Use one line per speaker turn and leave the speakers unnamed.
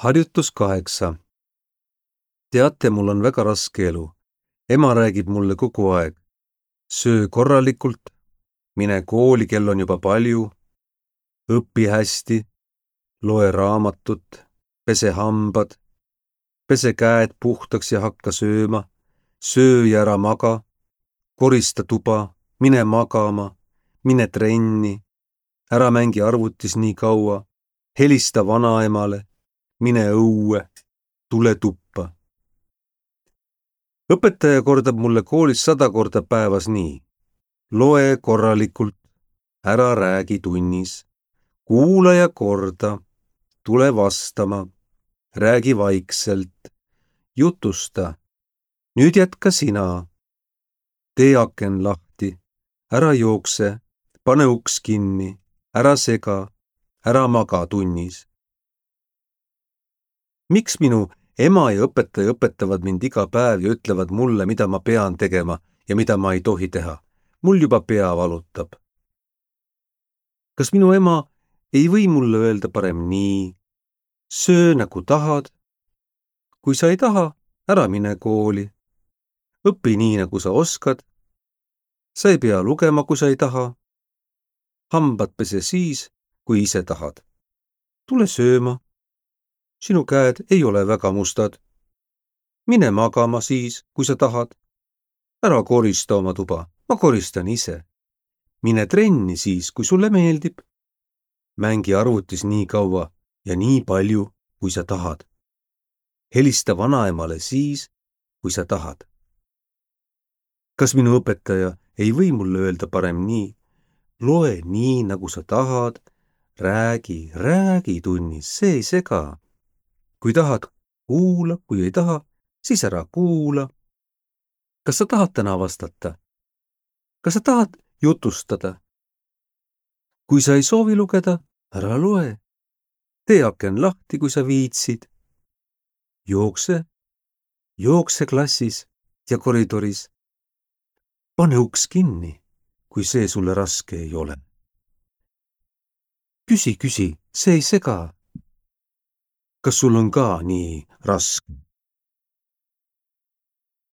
Harjutus 8. Teate, mul on väga raske elu. Ema räägib mulle kogu aeg. Söö korralikult, mine kooli, kell on juba palju, õpi hästi, loe raamatut, pese hambad, pese käed puhtaks ja hakka sööma, söö ja ära maga, korista tuba, mine magama, mine trenni, ära mängi arvutis nii kaua, helista vanaemale, mine õue, tule tuppa. Õpetaja kordab mulle koolis 100 korda päevas nii. Loe korralikult, ära räägi tunnis, kuula ja korda, tule vastama, räägi vaikselt, jutusta. Nüüd jätka sina. Tee aken lahti, ära jookse, pane uks kinni, ära sega, ära maga tunnis. Miks minu ema ja õpetaja õpetavad mind iga päev ja ütlevad mulle, mida ma pean tegema ja mida ma ei tohi teha? Mul juba pea valutab. Kas minu ema ei või mulle öelda parem nii? Söö nagu tahad. Kui sa ei taha, ära mine kooli. Õpi nii, nagu sa oskad. Sa ei pea lugema, kui sa ei taha. Hambad pese siis, kui ise tahad. Tule sööma. Sinu käed ei ole väga mustad. Mine magama siis, kui sa tahad. Ära korista oma tuba, ma koristan ise. Mine trenni siis, kui sulle meeldib. Mängi arvutis nii kaua ja nii palju, kui sa tahad. Helista vanaemale siis, kui sa tahad. Kas minu õpetaja ei või mulle öelda parem nii? Loe nii, nagu sa tahad. Räägi tunnis, see ei sega. Kui tahad, kuula, kui ei taha, siis ära kuula. Kas sa tahad täna vastata? Kas sa tahad jutustada? Kui sa ei soovi lugeda, ära loe. Tee aken lahti, kui sa viitsid. Jookse klassis ja koridoris. Pane uks kinni, kui see sulle raske ei ole. Küsi, see ei sega. Kas sul on ka nii raske?